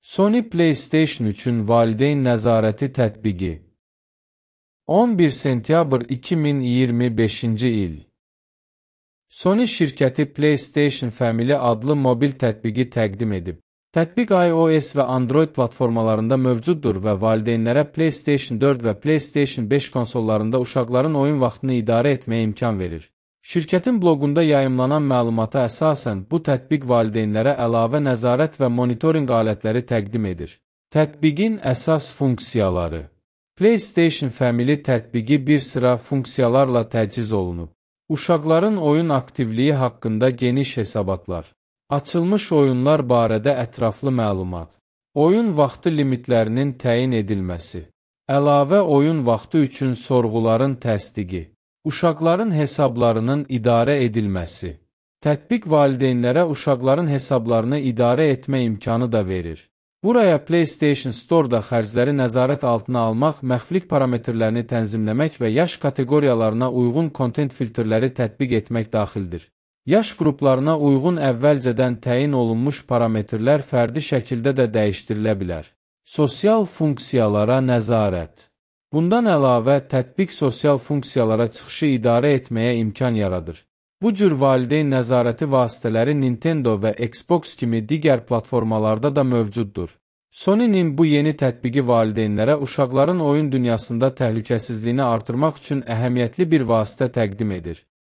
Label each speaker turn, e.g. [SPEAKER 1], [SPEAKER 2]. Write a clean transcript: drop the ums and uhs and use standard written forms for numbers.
[SPEAKER 1] Sony PlayStation üçün valideyn nəzarəti tətbiqi 11 sentyabr 2025-ci il Sony şirkəti PlayStation Family adlı mobil tətbiqi təqdim edib. Tətbiq iOS və Android platformalarında mövcuddur və valideynlərə PlayStation 4 və PlayStation 5 konsollarında uşaqların oyun vaxtını idarə etməyə imkan verir. Şirkətin bloqunda yayımlanan məlumata əsasən bu tətbiq valideynlərə əlavə nəzarət və monitorinq alətləri təqdim edir. Tətbiqin əsas funksiyaları PlayStation Family tətbiqi bir sıra funksiyalarla təchiz olunub. Uşaqların oyun aktivliyi haqqında geniş hesabatlar. Açılmış oyunlar barədə ətraflı məlumat. Oyun vaxtı limitlərinin təyin edilməsi. Əlavə oyun vaxtı üçün sorğuların təsdiqi. Uşaqların hesablarının idarə edilməsi. Tətbiq valideynlərə uşaqların hesablarını idarə etmə imkanı da verir. Buraya PlayStation Store-da xərcləri nəzarət altına almaq, məxfilik parametrlərini tənzimləmək və yaş kateqoriyalarına uyğun kontent filtrləri tətbiq etmək daxildir. Yaş qruplarına uyğun əvvəlcədən təyin olunmuş parametrlər fərdi şəkildə də dəyişdirilə bilər. Sosial funksiyalara nəzarət. Bundan əlavə, tətbiq sosial funksiyalara çıxışı idarə etməyə imkan yaradır. Bu cür valideyn nəzarəti vasitələri Nintendo və Xbox kimi digər platformalarda da mövcuddur. Sony'nin bu yeni tətbiqi valideynlərə uşaqların oyun dünyasında təhlükəsizliyini artırmaq üçün əhəmiyyətli bir vasitə təqdim edir.